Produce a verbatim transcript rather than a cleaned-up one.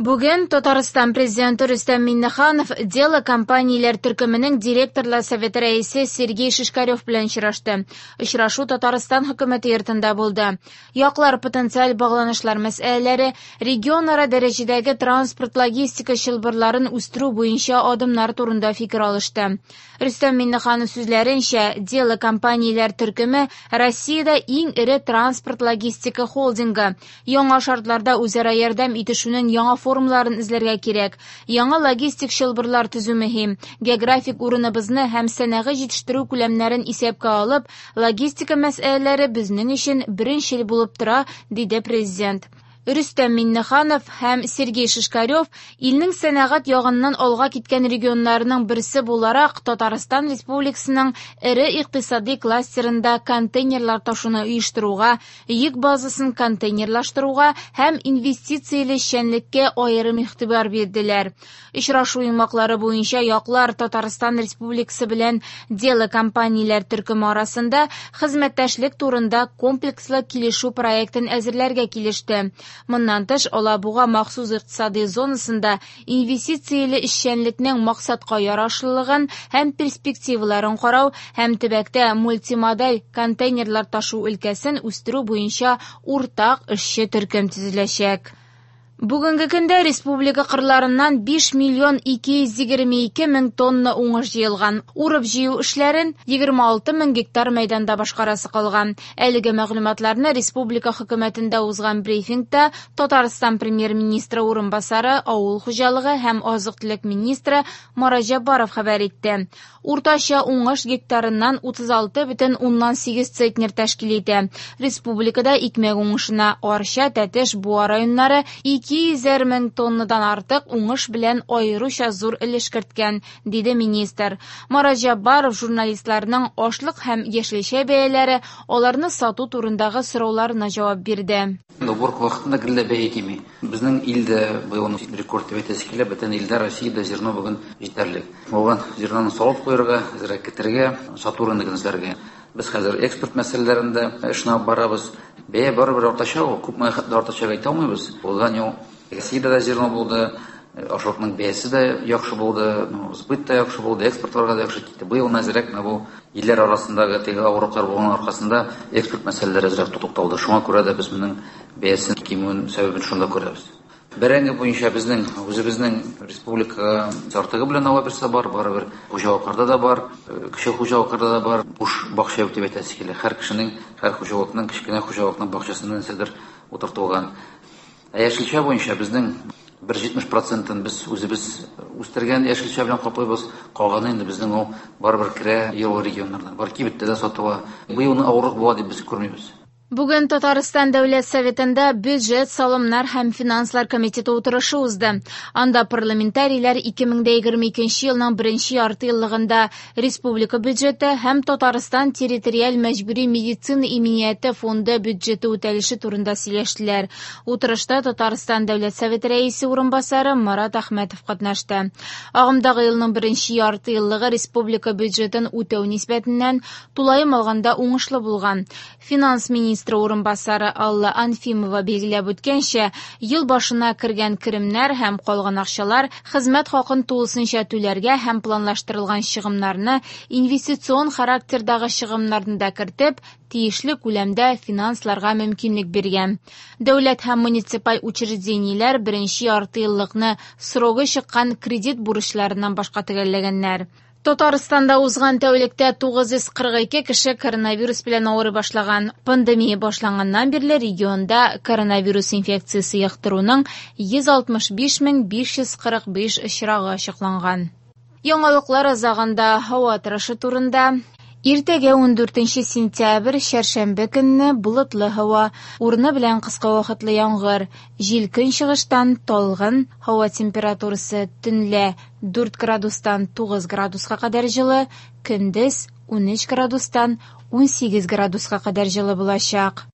Бүген Татарстан президенты Рөстәм Миңнеханов «Дело» компанияләр төркеменең директорлар советы рәисе Сергей Шишкарев белән очрашты. Очрашу Татарстан хөкүмәте йортында булды. Яклар потенциаль багланышлар мәсьәләләре, регионара дәрәҗәдәге транспорт-логистика чылбырларын үстерү буенча адымнар турында фикер алышты. Рөстәм Миңнеханов сүзләренчә, «Дело» компанияләр төркеме Россиядә иң эре транспорт-логистика холдингы. Яңа шартларда үзара ярдәм итешүнең яңа формаларын эзләргә кирәк. Яңа логистик чылбырлар төзү мөһим. Географик урыныбызны һәм сәнәгый җитештерү күләмнәрен исәпкә алып, логистика мәсьәләләре безнең өчен беренчел булып тора, диде президент. Рөстәм Миңнеханов һәм Сергей Шишкарев илнең сәнәгать ягыннан алга киткән регионнарының берсе буларак Татарстан Республикасының эре икътисади кластерында контейнерлар ташуны оештыруга, йөк базасын контейнерлаштыруга һәм инвестицияле эшчәнлеккә аерым игътибар бирделәр. Очрашу йомгаклары буенча яклар Татарстан Республикасы белән «Дело» компанияләр төркеме арасында хезмәттәшлек турында комплекслы килешү проектын әзерләргә килеште. Моннан тыш, Алабуга махсус икътисади зонасында инвестицияле эшчәнлекнең максатка ярашлылыгын һәм перспективаларын карау һәм төбәктә мультимодаль контейнерлар ташу өлкәсен үстерү буенча уртак эшче төркем төзеләчәк. Бүгенге көндә республика кырларыннан биш миллион ике йөз егерме ике мең тонна уңыш җыелган. Урып җыю эшләрен егерме алты мең гектар мәйданда башкарасы калган. Әлеге мәгълүматларны республика хөкүмәтендә узган брифингта Татарстан премьер-министры урынбасары, авыл хуҗалыгы һәм азык-төлек министры Марат Җәббаров хәбәр итте. Уртача уңыш гектарыннан утыз алты бөтен уннан сигез центнер тәшкил итә. Республикада икмәк уңышына Арча, Тәтеш, Буа районнары ике йөзәр мең тоннадан артык уңыш белән аеруча зур өлеш керткән, диде министр. Марат Җәббаров журналистларның ашлык һәм яшелчә бәяләре, аларны сату турындагы сорауларына җавап бирде. Уборка вакытында гел бәя кими. Безнең илдә быел рекорд дип әйтәсе килә, бөтен илдә Россиядә зерно бүген җитәрлек. Булган зерноны салып куярга, әзрәк китерергә, сату рыногын эзләргә. Без хәзер экспорт мәсьәләләрендә эшне алып барабыз. Бәя барыбер артачак, ул күпме хәтле артачак әйтә алмыйбыз. Узган ел Россиядә дә зерно булды, ашлыкның бәясе дә яхшы булды, сбыт та яхшы булды, экспортларга да яхшы китте. Быел әзрәк менә бу илләр арасындагы теге авырлыклар булган аркасында экспорт мәсьәләләре әзрәк тукталды. Шуңа күрә дә без моның бәясен кимүен сәбәбен шунда күрәбез. Бәрәңге буенча безнең үзебезнең республикага артыгы белән ала берсе бар, барыбер хуҗалыкларда да бар, кече хуҗалыкларда да бар. Буш бакча дип әйтәсе килә. Һәр кешенең, һәр хуҗалыкның, кечкенә хуҗалыкның бакчасында нәрсәдер утыртылган. Ә яшелчә буенча безнең бер җитмеш процентын без үзебез үстергән яшелчә белән каплыйбыз. Калганы инде безнең ул барыбер керә елгы регионнардан. Бар кибеттә дә сатыла. Быел авырлык була дип без күрмибез. Бүген Татарстан Дәүләт Советында бюджет, салымнар һәм финанслар комитеты утырышы узды. Анда парламентарийлар ике мең дә егерме икенче елның беренче ярты еллыгында республика бюджеты һәм Татарстан территориаль мәҗбүри медицина иминияте фонды бюджеты үтәлеше турында сөйләштеләр. Утырышта Татарстан Дәүләт Советы рәисе урынбасары Марат Әхмәтов катнашты. Агымдагы елның беренче ярты еллыгы республика бюджетын үтәү нисбәтеннән тулаем алганда уңышлы булган. Финанс министры урынбасары Алла Анфимова билгеләп үткәнчә, ел башына кергән керемнәр һәм калган акчалар хезмәт хакын тулысынча түләргә һәм планлаштырылган чыгымнарны инвестицион характердагы чыгымнарны да кертеп, тиешле күләмдә финансларга мөмкинлек биргән. Дәүләт һәм муниципаль учреждениеләр беренче ярты еллыкны срогы чыккан кредит бурычларыннан башка төгәлләгәннәр. Татарстанда узган тәүлектә тугыз йөз кырык ике кеше коронавирус белән авырый башлаган. Пандемия башланганнан бирле регионда коронавирус инфекциясе йоктыруның йөз алтмыш биш мең биш йөз кырык биш очрагы ачыкланган. Яңалыклар азагында һава торышы турында. Иртәгә ун дүртенче сентябрь чәршәмбе көнне болытлы һава, урыны белән кыска вакытлы яңгыр, җил көнчыгыштан талгын, һава температурасы төнлә дүрт градустан тугыз градуска кадәр җылы, көндез унөч градустан унсигез градуска кадәр җылы булачак.